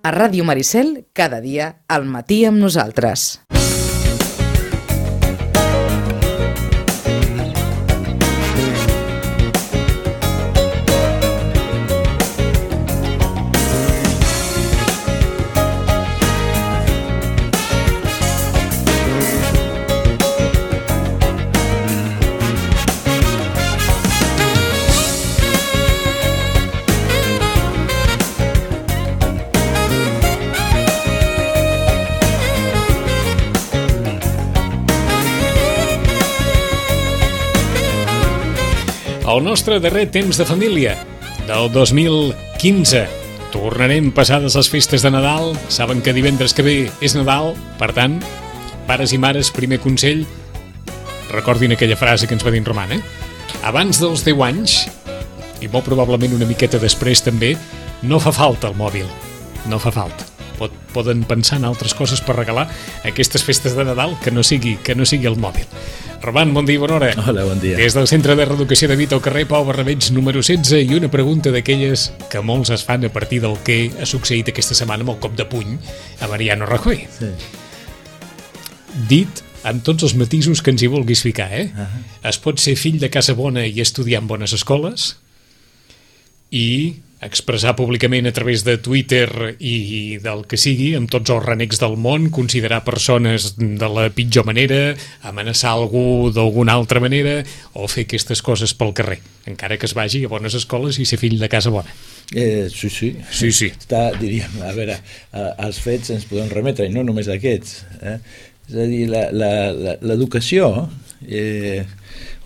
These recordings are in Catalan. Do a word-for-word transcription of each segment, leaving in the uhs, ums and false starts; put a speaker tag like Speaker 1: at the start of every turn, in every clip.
Speaker 1: A Ràdio Maricel, cada dia al matí amb nosaltres.
Speaker 2: El nostre darrer temps de família del dos mil quinze. Tornarem passades les festes de Nadal. Saben que divendres que ve és Nadal. Per tant, pares i mares, primer consell, recordin aquella frase que ens va dir en Roman, eh? Abans dels deu anys, i molt probablement una miqueta després també, no fa falta el mòbil. No fa falta. Pot, poden pensar en altres coses per regalar aquestes festes de Nadal que no sigui, que no sigui el mòbil. Roman, bon dia i bona hora.
Speaker 3: Hola, bon dia.
Speaker 2: Des del Centre de Reeducació de Vita al carrer Pau Barrabeig número setze, i una pregunta d'aquelles que molts es fan a partir del que ha succeït aquesta setmana amb el cop de puny a Mariano Rajoy.
Speaker 3: Sí.
Speaker 2: Dit amb tots els matisos que ens hi vulguis ficar, eh?
Speaker 3: Uh-huh.
Speaker 2: Es pot ser fill de casa bona i estudiar en bones escoles i expressar públicament a través de Twitter i del que sigui, amb tots els renecs del món, considerar persones de la pitjor manera, amenaçar algú d'alguna altra manera, o fer aquestes coses pel carrer, encara que es vagi a bones escoles i ser fill de casa bona.
Speaker 3: Eh, sí, sí.
Speaker 2: Sí, sí.
Speaker 3: Està, diríem, a veure, a, als fets ens podem remetre, i no només aquests. Eh? És a dir, la, la, la, l'educació eh,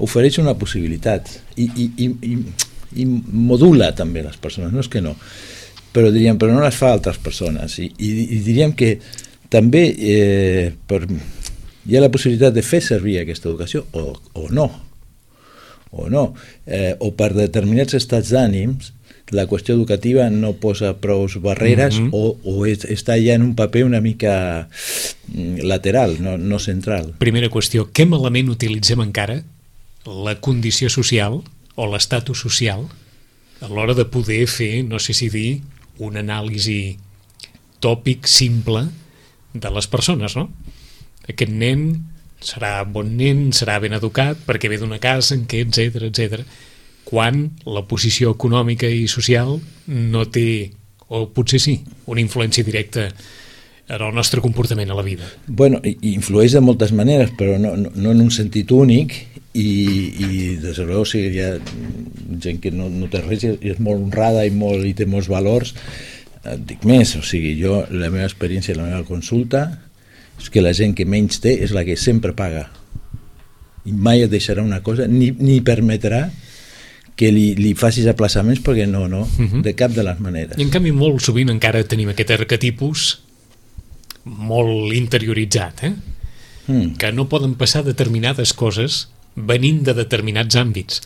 Speaker 3: ofereix una possibilitat i, i, i, i i modula també les persones, no és que no, però diríem, però no les fa altres persones, i, i, i diríem que també eh, per, hi ha la possibilitat de fer servir aquesta educació o, o no o no, eh, o per determinats estats d'ànims la qüestió educativa no posa prou barreres, mm-hmm. o, o és, està ja en un paper una mica lateral, no, no central.
Speaker 2: Primera qüestió, què malament utilitzem encara la condició social o l'estatus social a l'hora de poder fer, no sé si dir, una anàlisi tòpic simple de les persones, no? Aquest nen serà bon nen, serà ben educat, perquè ve d'una casa en què, etcètera, etcètera, quan la posició econòmica i social no té, o potser sí, una influència directa en el nostre comportament a la vida.
Speaker 3: Bueno, influeix de moltes maneres, però no, no, no en un sentit únic, i, i des de l'hora, o sigui, hi ha gent que no, no té res i és molt honrada i, molt, i té molts valors. Et dic més, o sigui, jo, la meva experiència, la meva consulta, és que la gent que menys té és la que sempre paga. I mai et deixarà una cosa, ni, ni permetrà que li, li facis aplaçaments, perquè no, no, uh-huh. de cap de les maneres.
Speaker 2: I en canvi molt sovint encara tenim aquest arquetipus molt interioritzat, eh? Mm. Que no poden passar determinades coses venint de determinats àmbits.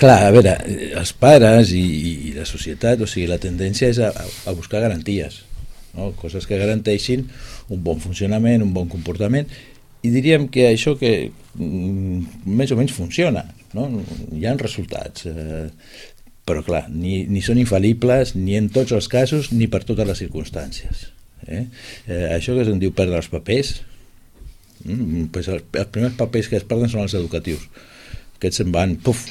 Speaker 3: Clar, a veure, els pares i, i la societat, o sigui, la tendència és a, a buscar garanties, no? Coses que garanteixin un bon funcionament, un bon comportament, i diríem que això que mm, més o menys funciona, no? Hi ha resultats, eh, però clar, ni, ni són infal·libles, ni en tots els casos, ni per totes les circumstàncies. Eh? Eh, això que se'n diu perdre els papers, mm, pues els, els primers papers que es perden són els educatius, aquests se'n van puf,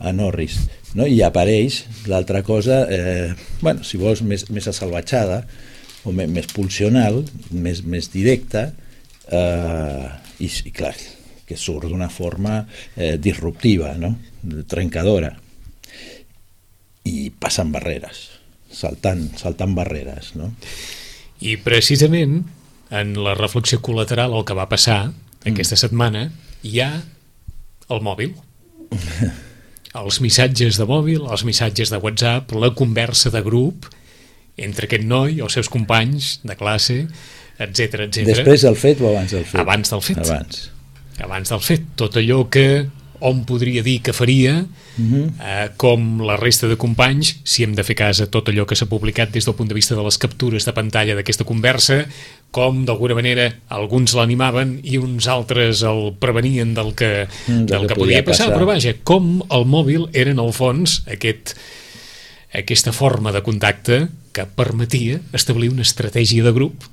Speaker 3: a Norris, no? I apareix l'altra cosa, eh, bueno, si vols més, més assalvatjada o més, més pulsional, més, més directa, eh, i, i clar, que surt d'una forma eh, disruptiva, no? Trencadora, i passen barreres, saltant, saltant barreres, no?
Speaker 2: I precisament en la reflexió col·lateral, el que va passar aquesta mm. setmana, hi ha el mòbil. Els missatges de mòbil, els missatges de WhatsApp, la conversa de grup entre aquest noi i els seus companys de classe, etcètera, etcètera.
Speaker 3: Després del fet o abans del fet?
Speaker 2: Abans del fet.
Speaker 3: Abans.
Speaker 2: Abans del fet. Tot allò que hom podria dir que faria, uh-huh. eh, com la resta de companys, si hem de fer cas a tot allò que s'ha publicat des del punt de vista de les captures de pantalla d'aquesta conversa, com d'alguna manera alguns l'animaven i uns altres el prevenien del que, mm, del que, que podia passar, passar, però vaja, com el mòbil era en el fons aquest, aquesta forma de contacte que permetia establir una estratègia de grup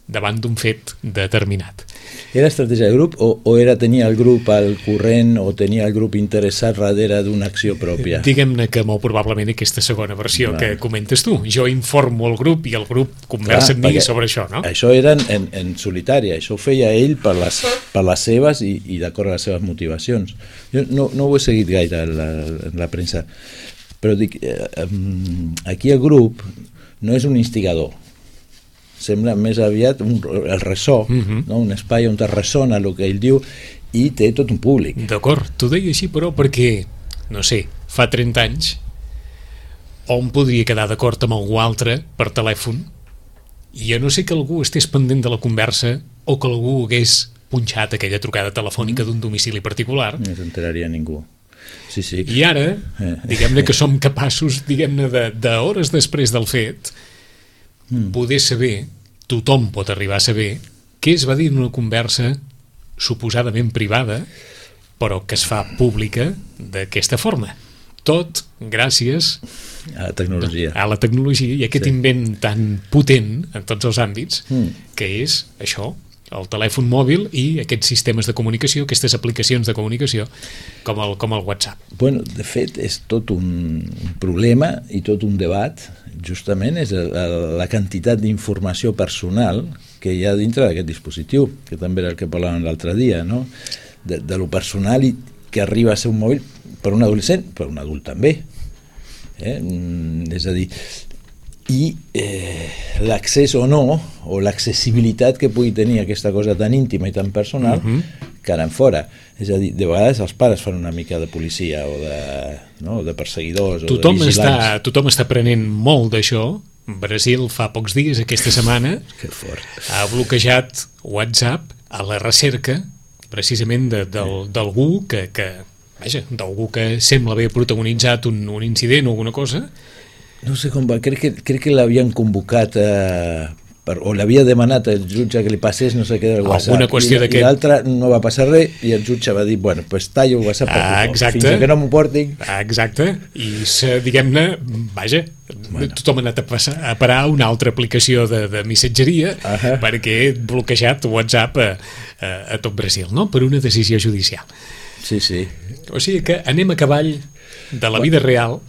Speaker 2: davant d'un fet determinat.
Speaker 3: Era estratègia de grup o, o era tenia el grup al corrent o tenia el grup interessat darrere d'una acció pròpia?
Speaker 2: Diguem-ne que molt probablement aquesta segona versió Clar. que comentes tu. Jo informo el grup i el grup conversa Clar, amb mi sobre això, no?
Speaker 3: Això era en, en solitari, això ho feia ell per les, per les seves i, i d'acord a les seves motivacions. Jo no, no ho he seguit gaire en la, en la premsa, però dic, eh, aquí el grup no és un instigador, sembla més aviat un, el ressò, uh-huh. no? Un espai on es ressona el que ell diu i té tot un públic.
Speaker 2: D'acord, t'ho deia així però perquè, no sé, fa trenta anys on podria quedar d'acord amb algú altre per telèfon i a no ser que algú estés pendent de la conversa o que algú hagués punxat aquella trucada telefònica d'un domicili particular.
Speaker 3: No s'enteraria ningú. Sí, sí.
Speaker 2: I ara, diguem-ne que som capaços, diguem-ne, de, d'hores després del fet, mm. poder saber, tothom pot arribar a saber, què es va dir en una conversa suposadament privada, però que es fa pública d'aquesta forma. Tot gràcies
Speaker 3: a la tecnologia.
Speaker 2: A la tecnologia i aquest sí. invent tan potent en tots els àmbits, mm. que és això, el telèfon mòbil i aquests sistemes de comunicació, aquestes aplicacions de comunicació com el, com el WhatsApp.
Speaker 3: Bueno, de fet, és tot un problema i tot un debat, justament és la, la quantitat d'informació personal que hi ha dintre d'aquest dispositiu, que també era el que parlàvem l'altre dia, no? De, de lo personal i que arriba a ser un mòbil per un adolescent, per un adult també. Eh? És a dir, i eh, l'accés o no, o l'accessibilitat que pugui tenir aquesta cosa tan íntima i tan personal, uh-huh. que ara en fora. És a dir, de vegades els pares fan una mica de policia o de, no, de perseguidors
Speaker 2: tothom
Speaker 3: o de vigilants.
Speaker 2: Està, tothom està prenent molt d'això. Brasil fa pocs dies, aquesta setmana,
Speaker 3: que fort.
Speaker 2: Ha bloquejat WhatsApp a la recerca precisament de, del, d'algú que, que, vaja, d'algú que sembla haver protagonitzat un, un incident o alguna cosa.
Speaker 3: No sé com va, crec que, crec que l'havien convocat eh, per, o l'havia demanat el jutge que li passés no sé què del WhatsApp.
Speaker 2: Alguna qüestió
Speaker 3: I, i l'altre no va passar res i el jutge va dir, bueno, pues tallo el WhatsApp
Speaker 2: ah, exacte.
Speaker 3: fins que no m'ho portin.
Speaker 2: Ah, exacte, i diguem-ne, vaja, bueno. Tothom ha anat a, passar, a parar una altra aplicació de, de missatgeria uh-huh. perquè he bloquejat WhatsApp a, a, a tot Brasil, no? Per una decisió judicial.
Speaker 3: Sí, sí.
Speaker 2: O sigui que anem a cavall de la vida real.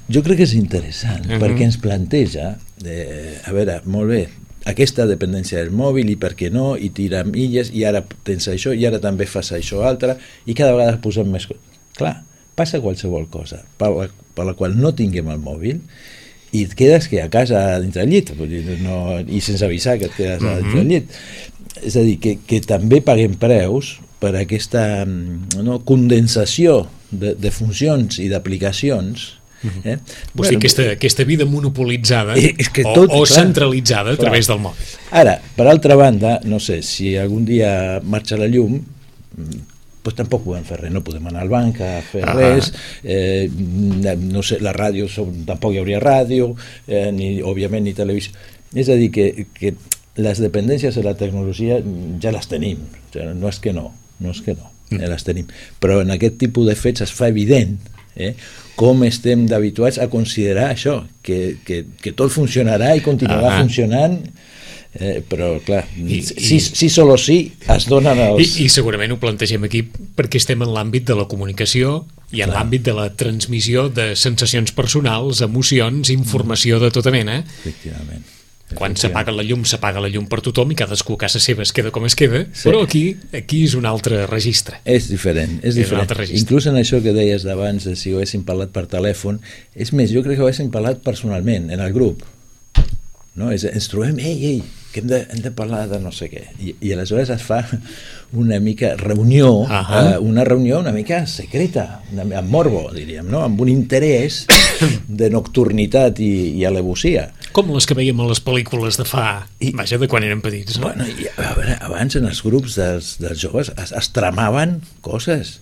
Speaker 3: Jo crec que és interessant, uh-huh. perquè ens planteja, eh, a veure, molt bé, aquesta dependència del mòbil i per què no, i tirar milles, i ara tens això, i ara també fas això altre, i cada vegada posem més coses. Clar, passa qualsevol cosa per la, per la qual no tinguem el mòbil i et quedes que a casa dintre del llit, no, i sense avisar que et quedes uh-huh. dintre del llit. És a dir, que, que també paguem preus per aquesta no, condensació de, de funcions i d'aplicacions. Eh?
Speaker 2: Vull bueno, dir, aquesta, aquesta vida monopolitzada
Speaker 3: és que
Speaker 2: o,
Speaker 3: tot,
Speaker 2: o
Speaker 3: clar,
Speaker 2: centralitzada a través clar. Del mòbil.
Speaker 3: Ara, per altra banda, no sé, si algun dia marxa la llum, doncs tampoc podem fer res, no podem anar al banc a fer ah. res, eh, no sé, la ràdio, tampoc hi hauria ràdio, eh, ni, òbviament ni televisió. És a dir, que, que les dependències de la tecnologia ja les tenim, o sigui, no és que no, no és que no, ja les tenim, però en aquest tipus de fets es fa evident eh, com estem d'habituats a considerar això, que, que, que tot funcionarà i continuarà ah. funcionant, eh, però clar, I, sí, i, sí solo sí es donen els...
Speaker 2: I, I segurament ho plantegem aquí perquè estem en l'àmbit de la comunicació i en clar. L'àmbit de la transmissió de sensacions personals, emocions, informació de tota mena.
Speaker 3: Efectivament.
Speaker 2: Quan s'apaga la llum, s'apaga la llum per tothom i cadascú a casa seva es queda com es queda, sí. Però aquí aquí és un altre registre.
Speaker 3: És diferent, és, és diferent. Inclús en això que deies d'abans, de si ho haguéssim parlat per telèfon, és més, jo crec que ho haguéssim parlat personalment, en el grup. No? És, ens trobem, ei, ei, que hem de, hem de parlar de no sé què. I, i aleshores es fa una mica reunió, uh-huh. eh, una reunió una mica secreta, amb morbo, diríem, no? Amb un interès de nocturnitat i, i alevosia.
Speaker 2: Com les que veiem a les pel·lícules de fa, I, vaja, de quan eren petits, no?
Speaker 3: Bueno, i, a veure, abans en els grups dels, dels joves es, es tramaven coses,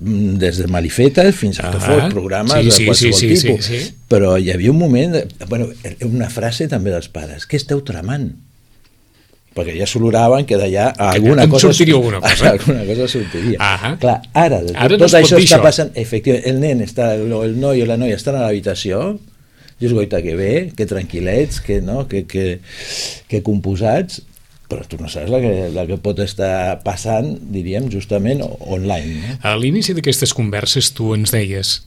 Speaker 3: des de malifetes fins a que fos programes sí, sí, de qualsevol sí, sí, tipus. Sí, sí. Però hi havia un moment, de, bueno, una frase també dels pares, què esteu tramant? Perquè ja s'oloraven que d'allà alguna
Speaker 2: que
Speaker 3: cosa
Speaker 2: sortiria alguna cosa.
Speaker 3: Alguna cosa sortiria.
Speaker 2: Uh-huh.
Speaker 3: Clar, ara, ara tot no això està passant, efectivament, el nen està, el noi o la noia estan a l'habitació, dius, goita, que bé, que tranquil·lets, que, no? que, que, que composats, però tu no saps la que, la que pot estar passant, diríem, justament online. No?
Speaker 2: A l'inici d'aquestes converses tu ens deies,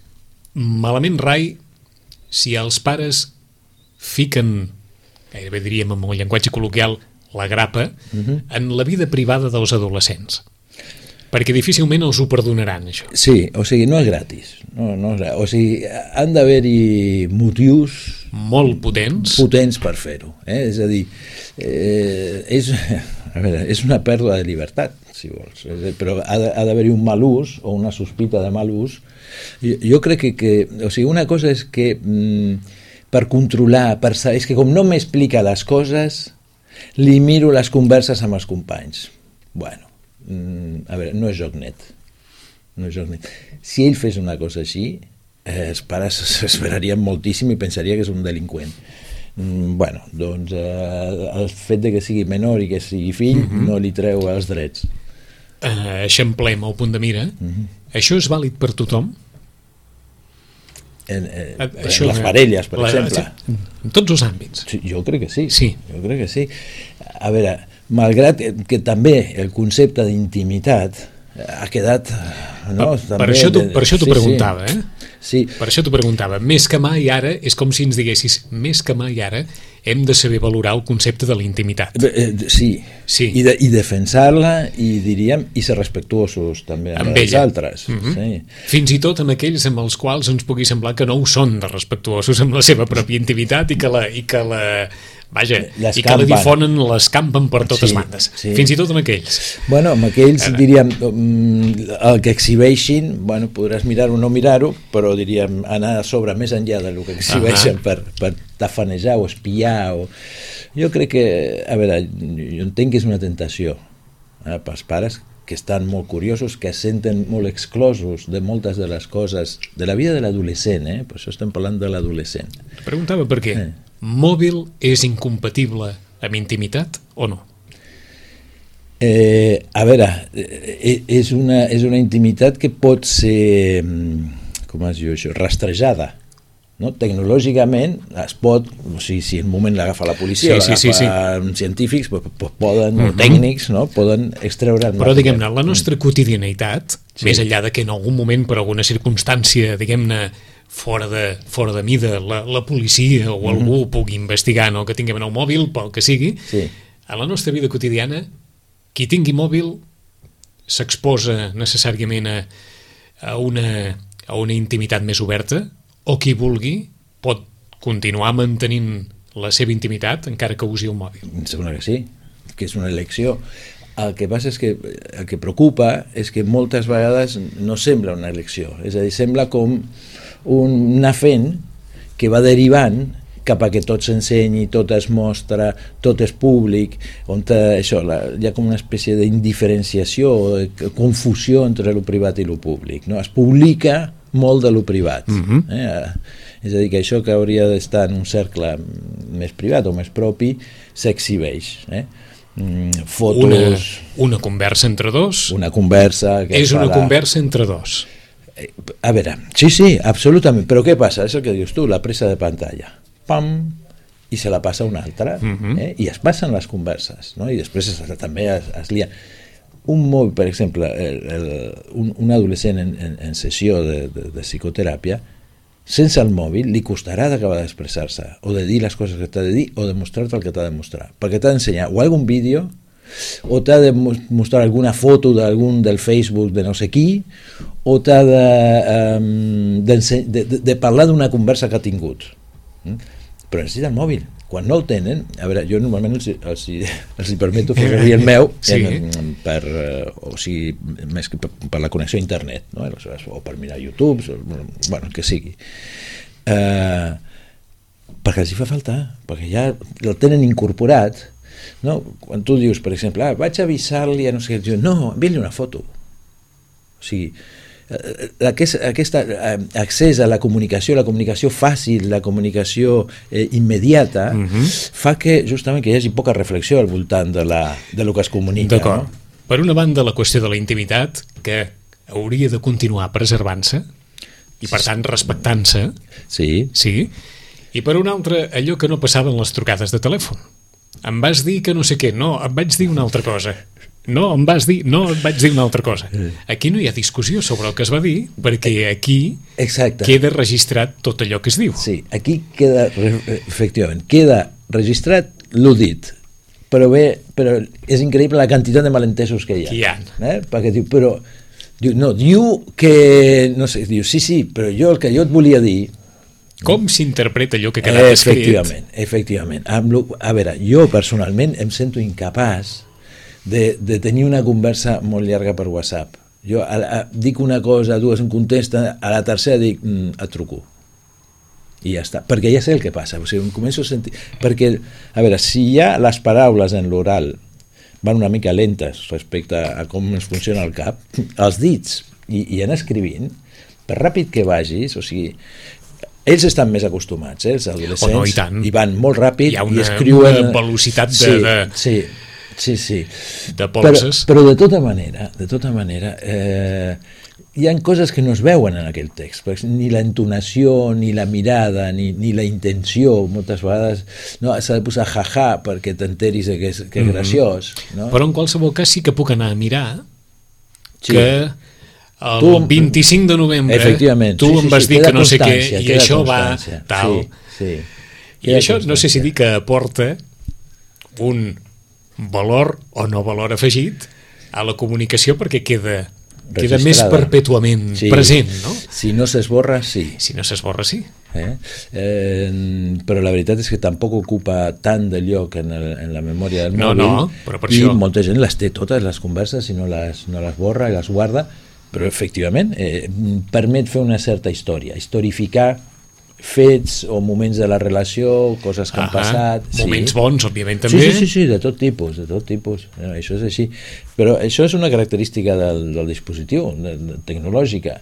Speaker 2: malament rai si els pares fiquen, gairebé diríem amb un llenguatge col·loquial, la grapa, uh-huh. en la vida privada dels adolescents. Perquè difícilment els ho perdonaran, això.
Speaker 3: Sí, o sigui, no és gratis. No, no és, o sigui, han d'haver-hi motius...
Speaker 2: Molt potents.
Speaker 3: Potents per fer-ho. Eh? És a dir, eh, és, a veure, és una pèrdua de llibertat, si vols. Però ha d'haver-hi un mal ús o una sospita de mal ús. Jo, jo crec que, que... O sigui, una cosa és que mm, per controlar, per saber... És que com no m'explica les coses, li miro les converses amb els companys. Bueno, a veure, no és joc net. No és joc net. Si ell fes una cosa així, eh, els pares s'esperarien moltíssim i pensaria que és un delinqüent. Mm, bueno, doncs eh, el fet de que sigui menor i que sigui fill mm-hmm. no li treu els drets.
Speaker 2: Uh, eixamplem el punt de mira. Mm-hmm. Això és vàlid per tothom?
Speaker 3: En, eh, uh, això, en les parelles, per la, exemple.
Speaker 2: En tots els àmbits.
Speaker 3: Sí, jo crec que sí.
Speaker 2: sí.
Speaker 3: Jo crec que sí. A veure, malgrat que també el concepte d'intimitat ha quedat... No,
Speaker 2: per, per això t'ho sí, preguntava,
Speaker 3: sí.
Speaker 2: eh?
Speaker 3: Sí.
Speaker 2: Per això t'ho preguntava. Més que mai ara, és com si ens diguessis, més que mai ara hem de saber valorar el concepte de la intimitat.
Speaker 3: Sí,
Speaker 2: sí.
Speaker 3: I, de, i defensar-la i diríem, i ser respectuosos també amb, amb els ella. Altres. Mm-hmm. Sí.
Speaker 2: Fins i tot amb aquells amb els quals ens pugui semblar que no ho són de respectuosos amb la seva pròpia intimitat i que la... I que la Vaja, i que la difonen, l'escampen per totes sí, bandes. Sí. Fins i tot amb aquells.
Speaker 3: Bueno, amb aquells, Ara. diríem, el que exhibeixin, bueno, podràs mirar-ho o no mirar-ho, però diríem, anar a sobre més enllà del que exhibeixen uh-huh. per, per tafanejar o espiar. O... Jo crec que, a veure, jo entenc que és una tentació eh, pels pares que estan molt curiosos, que es senten molt exclosos de moltes de les coses de la vida de l'adolescent, eh? Per això estem parlant de l'adolescent.
Speaker 2: Preguntava per què. Eh. Mòbil és incompatible amb intimitat o no?
Speaker 3: Eh, a veure, és una, és una intimitat que pot ser, com es diu això, rastrejada. No? Tecnològicament es pot, o sigui, si en un moment l'agafa la policia, sí, sí, l'agafa sí, sí. científics, pues, pues poden, uh-huh. tècnics, no? Poden extreure...
Speaker 2: Però, diguem-ne, la nostra quotidianitat, sí. més enllà de que en algun moment, per alguna circumstància, diguem-ne, fora de, fora de mida, la, la policia o algú mm-hmm. pugui investigar no, que tinguem en el mòbil, pel que sigui,
Speaker 3: sí.
Speaker 2: a la nostra vida quotidiana, qui tingui mòbil s'exposa necessàriament a, a, una, a una intimitat més oberta, o qui vulgui pot continuar mantenint la seva intimitat encara que usi el mòbil.
Speaker 3: Em sembla que sí, que és una elecció. El que passa és que el que preocupa és que moltes vegades no sembla una elecció, és a dir, sembla com un anar fent que va derivant cap a que tot s'ensenyi, tot es mostra, tot és públic, on això, la, hi ha com una espècie d'indiferenciació o de confusió entre el privat i el públic. No? Es publica molt de lo privat. Mm-hmm. eh? És a dir, que això que hauria d'estar en un cercle més privat o més propi s'exhibeix. Eh? Mm, fotos...
Speaker 2: Una, una conversa entre dos.
Speaker 3: Una conversa... Que
Speaker 2: és una
Speaker 3: la...
Speaker 2: conversa entre dos.
Speaker 3: A veure, sí, sí, absolutament, però què passa? És el que dius tu, la presa de pantalla. Pam! I se la passa una altra. Uh-huh. eh? I es passen les converses, no? I després es, també es, es lia. Un mòbil, per exemple, el, el, un, un adolescent en, en, en sessió de, de, de psicoteràpia, sense el mòbil li costarà d'acabar d'expressar-se, o de dir les coses que t'ha de dir, o de mostrar-te el que t'ha de mostrar. Perquè t'ha d'ensenyar o algun vídeo, o t'ha de mostrar alguna foto d'algun del Facebook de no sé qui, o t'ha de, um, de, de, de parlar d'una conversa que ha tingut. Mm? Però necessita el mòbil. Quan no el tenen, a veure, jo normalment els, els, els hi permeto fer servir el meu sí. en, per, o sigui, més que per, per la connexió a internet, no? O per mirar YouTube, o, bueno, el que sigui. Uh, perquè els hi fa falta, perquè ja el tenen incorporat. No? Quan tu dius, per exemple, ah, vaig avisar-li a no sé què, no, envia-li una foto. O sigui, aquest, aquest accés a la comunicació, la comunicació fàcil, la comunicació eh, immediata, uh-huh. fa que justament que hi hagi poca reflexió al voltant de, la, de lo que es comunica.
Speaker 2: D'acord. No? Per una banda, la qüestió de la intimitat, que hauria de continuar preservant-se, i per tant respectant-se.
Speaker 3: Sí.
Speaker 2: Sí. I per un altre, allò que no passaven les trucades de telèfon. Em vas dir que no sé què, no, em vaig dir una altra cosa. No, em vas dir, no, em vaig dir una altra cosa. Aquí no hi ha discussió sobre el que es va dir, perquè aquí
Speaker 3: Exacte.
Speaker 2: queda registrat tot allò que es diu.
Speaker 3: Sí, aquí queda, efectivament, queda registrat lo dit, però bé, però és increïble la quantitat de malentesos que hi ha.
Speaker 2: Que hi ha.
Speaker 3: Eh? Perquè diu, però, diu, no, diu que, no sé, diu, sí, sí, però jo el que jo et volia dir...
Speaker 2: Com s'interpreta allò que ha quedat escrit?
Speaker 3: Efectivament, efectivament. Amb lo, a veure, jo personalment em sento incapaç de, de tenir una conversa molt llarga per WhatsApp. Jo a, a, dic una cosa, dues em contesta, a la tercera dic, mm, et truco. I ja està, perquè ja sé el que passa. O sigui, em començo a sentir... Perquè, a veure, si ja les paraules en l'oral van una mica lentes respecte a com ens funciona el cap, els dits i, i anar escrivint, per ràpid que vagis, o sigui... Ells estan més acostumats, eh, els adolescents,
Speaker 2: oh, no, i, tant.
Speaker 3: i van molt ràpid
Speaker 2: hi ha una,
Speaker 3: i escriuen...
Speaker 2: una velocitat de...
Speaker 3: Sí,
Speaker 2: de...
Speaker 3: sí, sí, sí.
Speaker 2: de polses.
Speaker 3: Però, però de tota manera, de tota manera, eh, hi ha coses que no es veuen en aquell text, perquè ni la entonació, ni la mirada, ni, ni la intenció, moltes vegades no, s'ha de posar jaja perquè t'enteris que és, que és graciós. No?
Speaker 2: Però en qualsevol cas sí que puc anar a mirar sí. que... El
Speaker 3: tu,
Speaker 2: vint-i-cinc de novembre tu
Speaker 3: sí,
Speaker 2: em
Speaker 3: sí,
Speaker 2: vas
Speaker 3: sí,
Speaker 2: dir que no sé què i això va tal
Speaker 3: sí, sí,
Speaker 2: i això no sé si dir que aporta un valor o no valor afegit a la comunicació perquè queda, queda més perpètuament sí. present, no?
Speaker 3: Si no s'esborra, sí.
Speaker 2: Si no s'esborra, sí.
Speaker 3: Eh? Eh, però la veritat és que tampoc ocupa tant de lloc en, el, en la memòria del
Speaker 2: no,
Speaker 3: mòbil
Speaker 2: no, però per
Speaker 3: i
Speaker 2: això...
Speaker 3: molta gent les té totes, les converses, i no les, no les borra i les guarda, però efectivament eh, permet fer una certa història, historificar fets o moments de la relació, coses que ah, han passat.
Speaker 2: Moments
Speaker 3: sí.
Speaker 2: bons, òbviament, també.
Speaker 3: Sí, sí, sí, sí, de tot tipus, de tot tipus. No, això és així. Però això és una característica del, del dispositiu, de, de, tecnològica.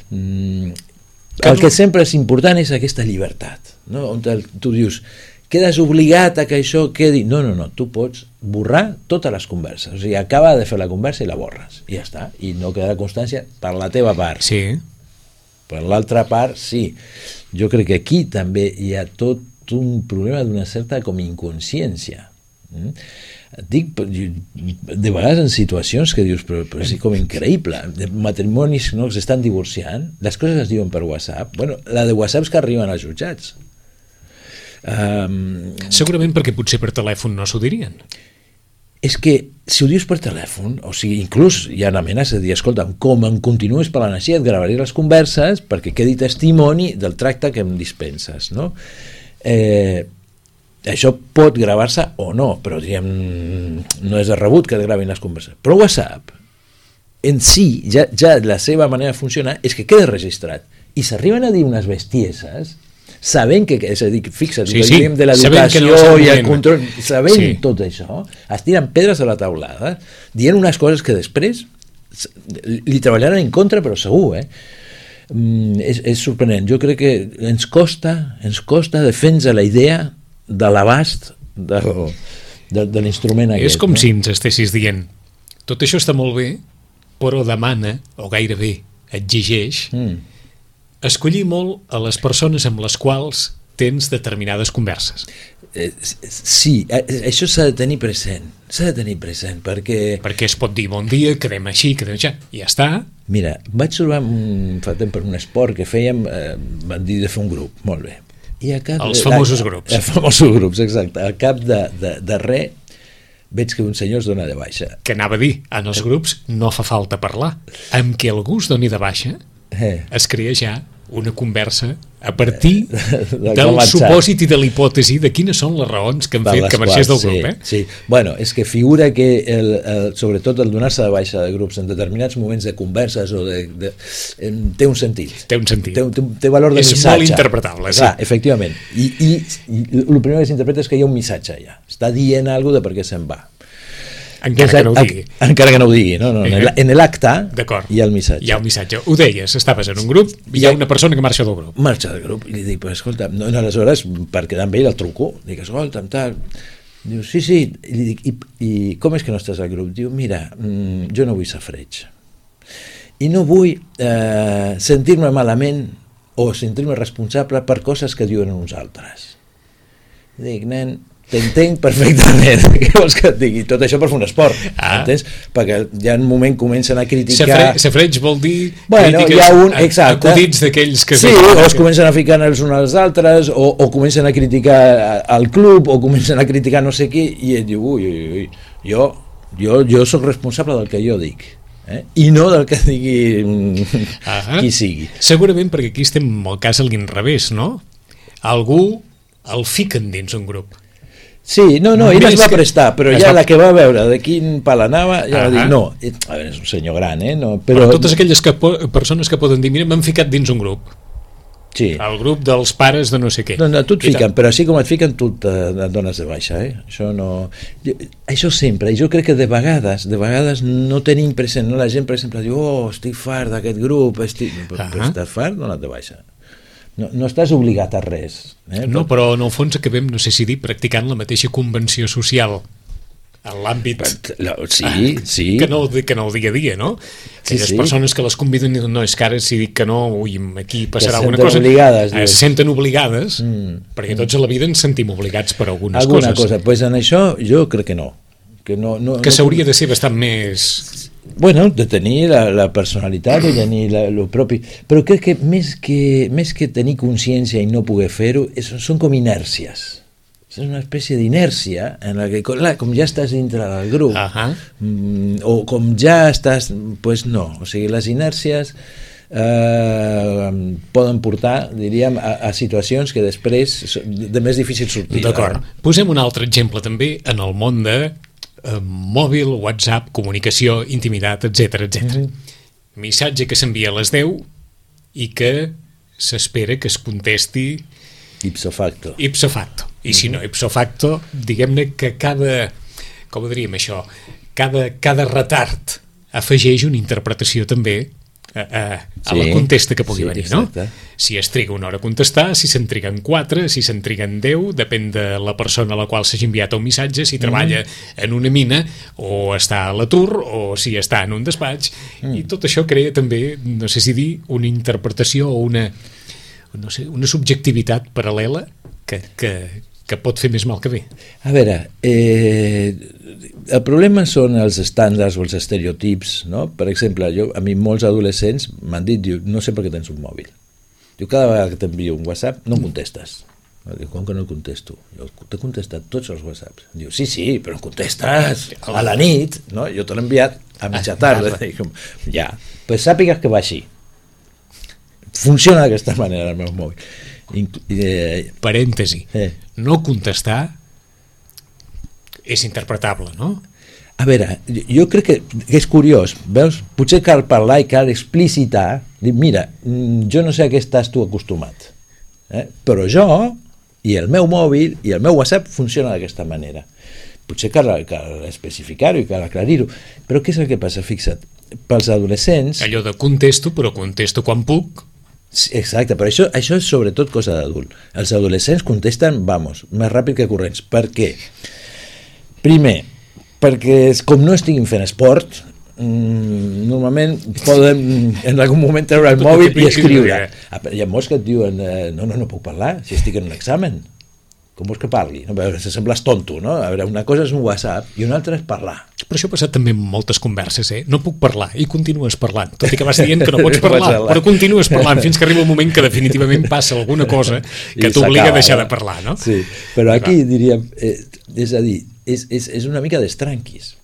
Speaker 3: Mm, el que sempre és important és aquesta llibertat, no? On el, tu dius, quedes obligat a que això quedi... No, no, no, tu pots borrar totes les converses. O sigui, acaba de fer la conversa i la borres. I ja està. I no quedarà constància per la teva part.
Speaker 2: Sí.
Speaker 3: Per l'altra part, sí. Jo crec que aquí també hi ha tot un problema d'una certa com inconsciència. Mm? Dic, de vegades en situacions que dius, però, però és com increïble, de matrimonis no, que s'estan divorciant, les coses es diuen per WhatsApp. Bueno, la de WhatsApp és que arriben als jutjats. Um,
Speaker 2: Segurament perquè potser per telèfon no s'ho dirien.
Speaker 3: És que si ho dius per telèfon, o sigui, inclús hi ha amenaces de dir, escolta, com em continues parlant així, et gravaré les converses perquè quedi testimoni del tracte que em dispenses, no? Eh, això pot gravar-se o no, però diguem, no és de rebut que et gravin les converses. Però WhatsApp, en si, ja, ja la seva manera de funcionar és que queda registrat. I s'arriben a dir unes bestieses sabent que, és a dir, fixa't,
Speaker 2: sí, sí.
Speaker 3: de l'educació
Speaker 2: no
Speaker 3: i el control, sabent
Speaker 2: sí.
Speaker 3: tot això, es tiren pedres a la taulada, dient unes coses que després li treballaran en contra, però segur, eh? Mm, és, és sorprenent. Jo crec que ens costa, ens costa defensar la idea de l'abast de, de, de l'instrument aquest.
Speaker 2: És com
Speaker 3: no?
Speaker 2: si ens estessis dient, tot això està molt bé, però demana, o gairebé exigeix, mm. escollir molt a les persones amb les quals tens determinades converses.
Speaker 3: Eh, sí, això s'ha de tenir present, s'ha de tenir present, perquè...
Speaker 2: Perquè es pot dir bon dia, quedem així, quedem així, i ja està.
Speaker 3: Mira, vaig trobar un, fa temps per un esport que fèiem, eh, van dir de fer un grup, molt bé. I a cap,
Speaker 2: els famosos grups.
Speaker 3: Els famosos grups, exacte. Al cap de, de, de res, veig que un senyor es dona de baixa.
Speaker 2: Que anava a dir, en els grups no fa falta parlar. Amb què algú es doni de baixa, eh. es crea ja una conversa a partir de del supòsit i de l'hipòtesi de quines són les raons que han fet que marxés del grup. Eh?
Speaker 3: Sí, sí. Bueno, és que figura que el, el, sobretot el donar-se de baixa de grups en determinats moments de converses o de, de, té un sentit.
Speaker 2: Té un sentit.
Speaker 3: Té, té, té valor de
Speaker 2: és
Speaker 3: missatge.
Speaker 2: És molt interpretable. Sí.
Speaker 3: Clar, efectivament. I, i, i el primer que s'interpreta és que hi ha un missatge allà. Està dient alguna cosa de per què se'n va.
Speaker 2: Encara que no ho digui.
Speaker 3: Encara que no ho digui, no, no. En l'acte hi ha el missatge.
Speaker 2: Hi ha el missatge. Ho deies, estaves en un grup i hi ha una persona que marxa del grup.
Speaker 3: Marxa del grup i li dic, pues, escolta, no, no, aleshores, per quedar amb ell el truco, dic, escolta, tal... Diu, sí, sí, i li dic, i, i com és que no estàs al grup? Diu, mira, mmm, jo no vull safreig. I no vull eh, sentir-me malament o sentir-me responsable per coses que diuen uns altres. Dic, nen, t'entenc perfectament, què vols que et digui? Tot això per fer un esport, ah. entens? Perquè ja en un moment comencen a criticar...
Speaker 2: Safreig vol dir
Speaker 3: bueno,
Speaker 2: crítiques
Speaker 3: un, exacte.
Speaker 2: acudits d'aquells que...
Speaker 3: Sí, o es comencen a ficar els uns als altres, o, o comencen a criticar al club, o comencen a criticar no sé qui, i et diu, ui, ui, ui, jo, jo, jo soc responsable del que jo dic. Eh? I no del que digui ah. qui sigui.
Speaker 2: Segurament perquè aquí estem en el cas a l'inrevés, no? Algú el fiquen dins un grup.
Speaker 3: Sí, no, no, ell es va prestar, però ja
Speaker 2: va...
Speaker 3: la que va veure de quin pal anava, ja uh -huh. va dir, no, a veure, és un senyor gran, eh? No, però...
Speaker 2: però totes aquelles que po persones que poden dir, mira, m'han ficat dins un grup.
Speaker 3: Sí.
Speaker 2: El grup dels pares de no sé què.
Speaker 3: No, no, tu et fiquen, però així com et fiquen, tu et dones de baixa, eh? Això no... Això sempre, jo crec que de vegades, de vegades no tenim present, no? La gent, per exemple, diu, oh, estic fart d'aquest grup, estic... Uh -huh. Però estàs fart, dona't de baixa. No, no estàs obligat a res. Eh?
Speaker 2: No, però en el fons acabem, no sé si dir, practicant la mateixa convenció social en l'àmbit
Speaker 3: sí, sí.
Speaker 2: Que, no, que no el dia a dia, no? Aquelles sí, sí. persones que les conviden i diuen, no, és que ara si dic que no, ui, aquí passarà alguna cosa,
Speaker 3: obligades,
Speaker 2: eh, se senten obligades, mm. perquè tots a la vida ens sentim obligats per algunes
Speaker 3: alguna
Speaker 2: coses.
Speaker 3: Cosa, pues en això jo crec que no. Que, no, no,
Speaker 2: que
Speaker 3: no,
Speaker 2: s'hauria de ser bastant més...
Speaker 3: Bueno, de tenir la, la personalitat, de tenir la, lo propi, però crec que més que, més que tenir consciència i no poder fer-ho, són com inèrcies. És una espècie d'inèrcia en la que, clar, com ja estàs dintre del grup, uh -huh. mm, o com ja estàs, pues no, o sigui, les inèrcies eh, poden portar, diríem, a, a situacions que després de més difícil sortir.
Speaker 2: D'acord. Posem un altre exemple també en el món de Uh, mòbil, WhatsApp, comunicació, intimitat, etcètera, etcètera. Mm -hmm. Missatge que s'envia a les deu i que s'espera que es contesti
Speaker 3: ipso facto.
Speaker 2: Ipso facto. I mm -hmm. si no ipso facto, diguem-ne que cada, com ho diríem això, cada, cada retard afegeix una interpretació també a, a, a sí, la contesta que pugui sí, venir, no? Exacte. Si es triga una hora a contestar, si se'n triguen quatre, si se'n triguen deu, depèn de la persona a la qual s'hagi enviat un missatge, si treballa mm. en una mina, o està a l'atur, o si està en un despatx, mm. i tot això crea també, no sé si dir, una interpretació o una, no sé, una subjectivitat paral·lela que, que, que pot fer més mal que bé.
Speaker 3: A veure, eh, el problema són els estàndards o els estereotips, no? Per exemple, jo, a mi molts adolescents m'han dit, diu, no sé per què tens un mòbil. Diu, cada vegada que t'envio un WhatsApp no contestes. Diu, com que no el contesto? Jo t'he contestat tots els WhatsApps. Diu, sí, sí, però em contestes a la nit, no? Jo te l'he enviat a mitja tarda. Dic, ja, pues sàpigues que va així. Funciona d'aquesta manera el meu mòbil.
Speaker 2: Eh, Parèntesi. Eh. No contestar és interpretable, no?
Speaker 3: A veure, jo crec que és curiós, veus? Potser cal parlar i cal explicitar, dir, mira, jo no sé a què estàs tu acostumat, eh? Però jo i el meu mòbil i el meu WhatsApp funciona d'aquesta manera. Potser cal, cal especificar-ho i cal aclarir-ho, però què és el que passa? Fixa't, pels adolescents...
Speaker 2: Allò de contesto, però contesto quan puc.
Speaker 3: Exacte, però això, això és sobretot cosa d'adult. Els adolescents contesten, vamos, més ràpid que corrents. Per què? Primer, perquè com no estiguin fent esport, mmm, normalment poden en algun moment treure el mòbil i escriure. Hi ha molts que et diuen, no, no, no puc parlar, si estic en un examen. Com vols que parli? No, se sembles tonto, no? A veure, una cosa és un WhatsApp i una altra és parlar.
Speaker 2: Però això ha passat també en moltes converses, eh? No puc parlar, i continues parlant, tot i que vas dient que no pots parlar, però continues parlant fins que arriba un moment que definitivament passa alguna cosa que t'obliga a deixar de parlar, no?
Speaker 3: Sí, però aquí diríem, eh, és a dir, és, és, és una mica d'estranquis.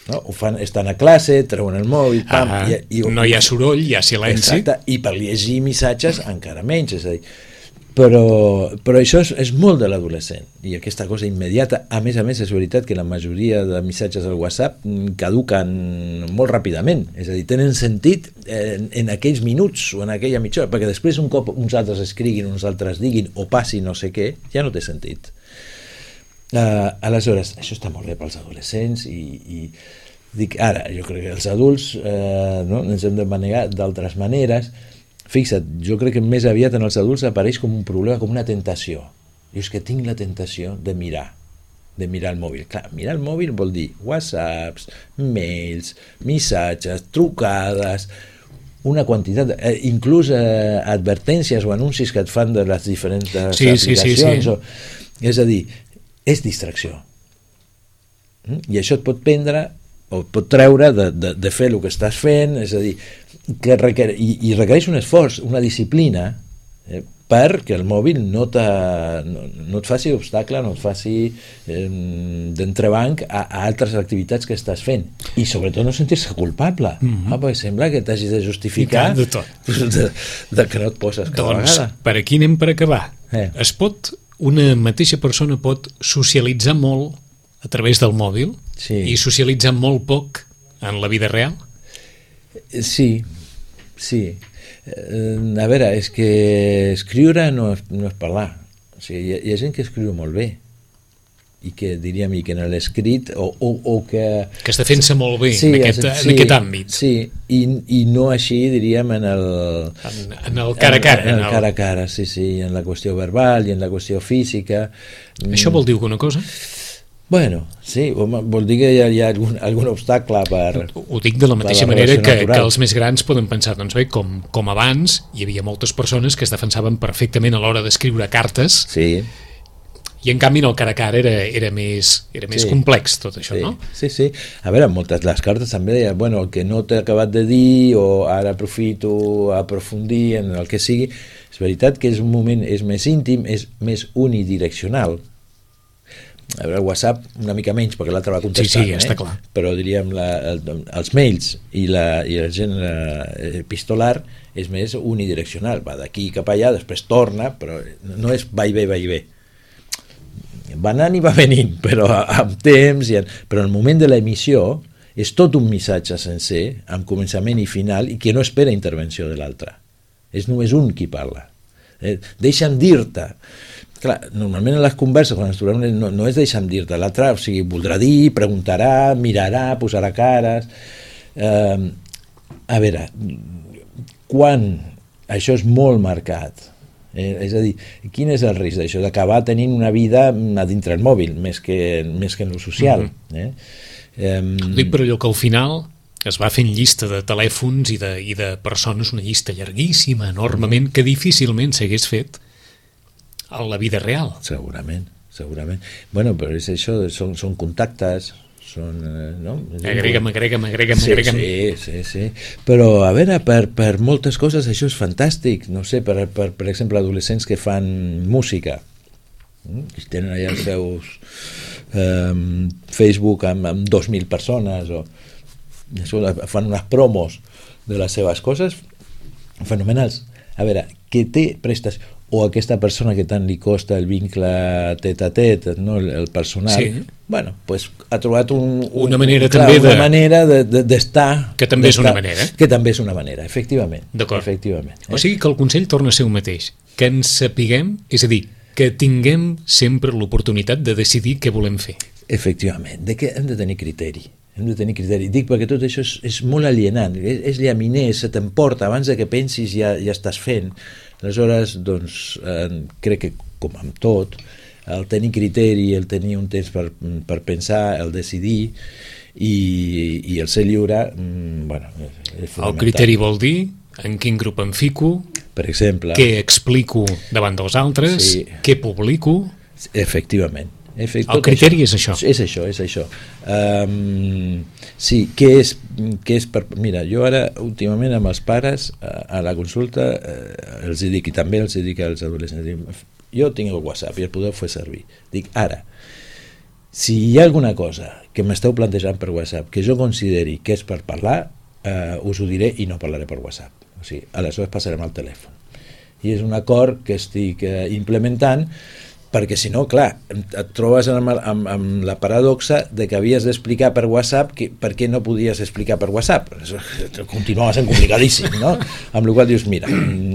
Speaker 3: No? Ho fan, estan a classe, treuen el mòbil, pam,
Speaker 2: ah,
Speaker 3: i, i,
Speaker 2: no hi ha soroll, hi ha silenci.
Speaker 3: Exacte, i per llegir missatges encara menys, és a dir, però, però això és, és molt de l'adolescent, i aquesta cosa immediata, a més a més és veritat que la majoria de missatges al WhatsApp caduquen molt ràpidament, és a dir, tenen sentit en, en aquells minuts o en aquella mitja hora, perquè després un cop uns altres escriguin, uns altres diguin o passi no sé què, ja no té sentit. Uh, aleshores, això està molt bé pels adolescents i, i dic, ara, jo crec que els adults uh, no, ens hem de manegar d'altres maneres. Fixa't, jo crec que més aviat en els adults apareix com un problema, com una tentació. Jo és que tinc la tentació de mirar, de mirar el mòbil. Clar, mirar el mòbil vol dir whatsapps, mails, missatges, trucades, una quantitat, eh, inclús eh, advertències o anuncis que et fan de les diferents
Speaker 2: sí,
Speaker 3: aplicacions.
Speaker 2: Sí, sí, sí.
Speaker 3: O, és a dir, és distracció. Mm? I això et pot prendre o et pot treure de, de, de fer el que estàs fent, és a dir, que requer, i, i requereix un esforç, una disciplina, eh, perquè el mòbil no, no, no et faci obstacle, no et faci eh, d'entrebanc a, a altres activitats que estàs fent. I sobretot no sentir-se culpable. Mm-hmm. Ah, perquè sembla que t'hagis de justificar
Speaker 2: de, tot.
Speaker 3: De, de que no et poses cada
Speaker 2: doncs,
Speaker 3: vegada.
Speaker 2: Per aquí anem per acabar.
Speaker 3: Eh.
Speaker 2: Es pot, una mateixa persona pot socialitzar molt a través del mòbil
Speaker 3: sí.
Speaker 2: i socialitzar molt poc en la vida real?
Speaker 3: Sí, sí. A veure, és que escriure no és, no és parlar. O sigui, hi, ha, hi ha gent que escriu molt bé i que diríem i que en l'escrit o, o, o que...
Speaker 2: que està fent-se molt bé sí, en, aquest,
Speaker 3: sí,
Speaker 2: en aquest àmbit.
Speaker 3: Sí, i, i no així diríem en el...
Speaker 2: En, en el cara a cara.
Speaker 3: En, en el cara a cara, sí, sí, en la qüestió verbal i en la qüestió física.
Speaker 2: Això vol dir alguna cosa?
Speaker 3: Bueno, sí, vol dir que hi ha, hi ha algun, algun obstacle per...
Speaker 2: Ho dic de la mateixa la manera que, que els més grans poden pensar, doncs bé, com, com abans hi havia moltes persones que es defensaven perfectament a l'hora d'escriure cartes
Speaker 3: sí.
Speaker 2: i en canvi en el cara a cara era, era més, era més sí. complex tot això,
Speaker 3: sí.
Speaker 2: no?
Speaker 3: Sí, sí. A veure, moltes les cartes també deien, bueno, el que no t'he acabat de dir o ara aprofito a aprofundir en el que sigui. És veritat que és un moment, és més íntim, és més unidireccional. A veure, el WhatsApp una mica menys perquè l'altre va contestant,
Speaker 2: sí, sí, està
Speaker 3: eh?
Speaker 2: clar.
Speaker 3: Però diríem la, el, els mails i la, i el gent eh, epistolar és més unidireccional, va d'aquí cap allà, després torna, però no és va i ve, va i ve, va anant i va venint, però amb temps i en, però el moment de l'emissió és tot un missatge sencer amb començament i final i que no espera intervenció de l'altre, és només un qui parla, eh? Deixa'm dir-te. Clar, normalment en les converses quan ens trobem no, no és deixa'm dir-te, l'altre o sigui, voldrà dir, preguntarà, mirarà, posarà cares. Eh, a veure, quan això és molt marcat, eh, és a dir, quin és el risc d'això? D'acabar tenint una vida a dintre el mòbil, més que, més que en lo social. Mm-hmm. eh? Eh,
Speaker 2: Ho dic per allò que al final es va fent llista de telèfons i de, i de persones, una llista llarguíssima, enormement, que difícilment s'hagués fet a la vida real.
Speaker 3: Segurament, segurament. Bueno, però és això, són, són contactes, són... Eh, no?
Speaker 2: Agrega'm, agrega'm, agrega'm,
Speaker 3: sí,
Speaker 2: agrega'm.
Speaker 3: Sí, sí, sí. Però, a veure, per, per moltes coses això és fantàstic. No sé, per, per, per exemple, adolescents que fan música, que tenen allà els seus eh, Facebook amb, amb dos mil persones, o fan unes promos de les seves coses fenomenals. A veure, què té prestes... o aquesta persona que tant li costa el vincle tet a tet, no? el, el personal, sí. Bueno, pues ha trobat un, un,
Speaker 2: una manera
Speaker 3: clar,
Speaker 2: també
Speaker 3: una
Speaker 2: de...
Speaker 3: manera de, d'estar...
Speaker 2: Que també és una manera.
Speaker 3: Que també és una manera, efectivament.
Speaker 2: D'acord.
Speaker 3: Efectivament, eh?
Speaker 2: O sigui que el consell torna a ser el mateix, que ens sapiguem, és a dir, que tinguem sempre l'oportunitat de decidir què volem fer.
Speaker 3: Efectivament, de que hem de tenir criteri. Hem de tenir criteri. Dic perquè tot això és, és molt alienant, és, és llaminer, se t'emporta, abans de que pensis ja, ja estàs fent. Aleshores, doncs, eh, crec que, com amb tot, el tenir criteri, el tenir un temps per, per pensar, el decidir i, i el ser lliure, mm, bueno, és fonamental.
Speaker 2: El criteri vol dir en quin grup em fico,
Speaker 3: per exemple,
Speaker 2: què explico davant dels altres, sí. Què publico...
Speaker 3: Efectivament. Efect,
Speaker 2: el criteri això.
Speaker 3: és això. És això, és això. Um, sí, què és, què és per... Mira, jo ara, últimament, amb els pares, a, a la consulta, eh, els dic, i també els dic als adolescents, dic, jo tinc el WhatsApp i el podeu fer servir. Dic, ara, si hi ha alguna cosa que m'esteu plantejant per WhatsApp que jo consideri que és per parlar, eh, us ho diré i no parlaré per WhatsApp. O sigui, aleshores passarem al telèfon. I és un acord que estic eh, implementant, perquè si no, clar, et trobes amb, amb, amb la paradoxa de que havies d'explicar per WhatsApp que, per què no podies explicar per WhatsApp. Continuava sent complicadíssim, no? Amb la qual dius, mira,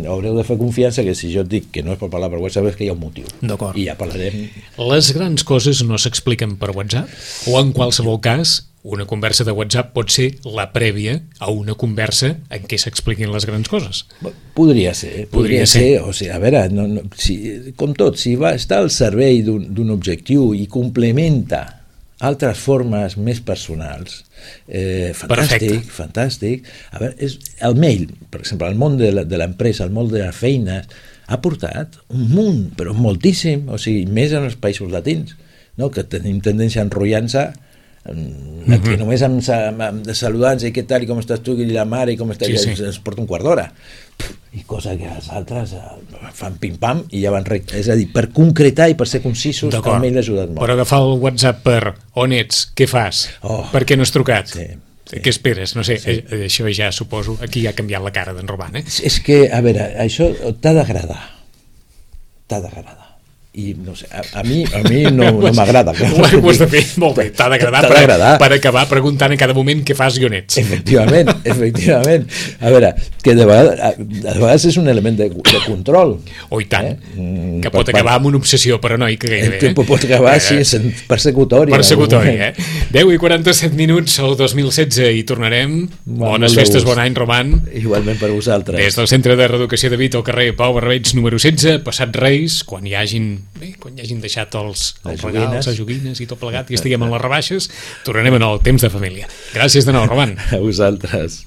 Speaker 3: haureu de fer confiança que si jo et dic que no és per parlar per WhatsApp és que hi ha un motiu.
Speaker 2: D'acord.
Speaker 3: I ja parlarem.
Speaker 2: Les grans coses no s'expliquen per WhatsApp? O en qualsevol cas, una conversa de WhatsApp pot ser la prèvia a una conversa en què s'expliquin les grans coses?
Speaker 3: Podria ser. Podria, podria ser. ser. O sigui, a veure, no, no, si, com tot, si va estar al servei d'un, d'un objectiu i complementa altres formes més personals. Eh, fantàstic,
Speaker 2: Perfecte.
Speaker 3: fantàstic. A veure, és, el mail, per exemple, el món de la- de l'empresa, el món de les feines, ha portat un munt, però moltíssim, o sigui, més en els països latins, no? Que tenim tendència a enrotllar-nos mm, aquí
Speaker 2: Mhm.
Speaker 3: només amb, sa- amb, amb de saludants i què tal, i com estàs tu, i la mare, i com estàs,
Speaker 2: Sí,
Speaker 3: sí,
Speaker 2: sí.
Speaker 3: sí. ens porta un quart d'hora. I cosa que els altres eh, fan pim-pam i ja van rec... És a dir, per concretar i per ser concisos,
Speaker 2: D'acord.
Speaker 3: el mail ha ajudat molt.
Speaker 2: Però agafar el WhatsApp per on ets, què fas,
Speaker 3: Oh.
Speaker 2: per què no has trucat,
Speaker 3: Sí, sí.
Speaker 2: què esperes, no sé,
Speaker 3: Sí.
Speaker 2: eh, això ja suposo, aquí ja ha canviat la cara d'en Roman, eh?
Speaker 3: És, és que, a veure, això t'ha d'agradar. T'ha d'agradar. I no sé, a, a mi, a mi no, no m'agrada.
Speaker 2: Ho, ho has de fer molt bé, t'ha d'agradar
Speaker 3: T'ha
Speaker 2: per,
Speaker 3: d'agradar.
Speaker 2: per acabar preguntant a cada moment què fas i on ets.
Speaker 3: Efectivament, efectivament. A veure, que de vegades, a, de vegades és un element de, de control.
Speaker 2: O i tant,
Speaker 3: Eh? Mm,
Speaker 2: que
Speaker 3: per
Speaker 2: pot
Speaker 3: part-
Speaker 2: acabar amb una obsessió paranoica gairebé.
Speaker 3: Que pot acabar, sí, sent persecutori. en algun
Speaker 2: Persecutori,
Speaker 3: moment.
Speaker 2: eh? deu i quaranta-set minuts al dos mil setze i tornarem.
Speaker 3: Molt
Speaker 2: Bones
Speaker 3: de
Speaker 2: festes,
Speaker 3: gust.
Speaker 2: bon any, Roman.
Speaker 3: Igualment per vosaltres.
Speaker 2: Des del Centre de Reeducació de Vit al carrer Pau Barbeig número setze, passat Reis, quan hi hagin, bé, quan hi hagin deixat els,
Speaker 3: Les
Speaker 2: els regals,
Speaker 3: joguines.
Speaker 2: les joguines i tot plegat i estiguem en les rebaixes, tornarem en el temps de família. Gràcies de nou, Roman.
Speaker 3: A vosaltres.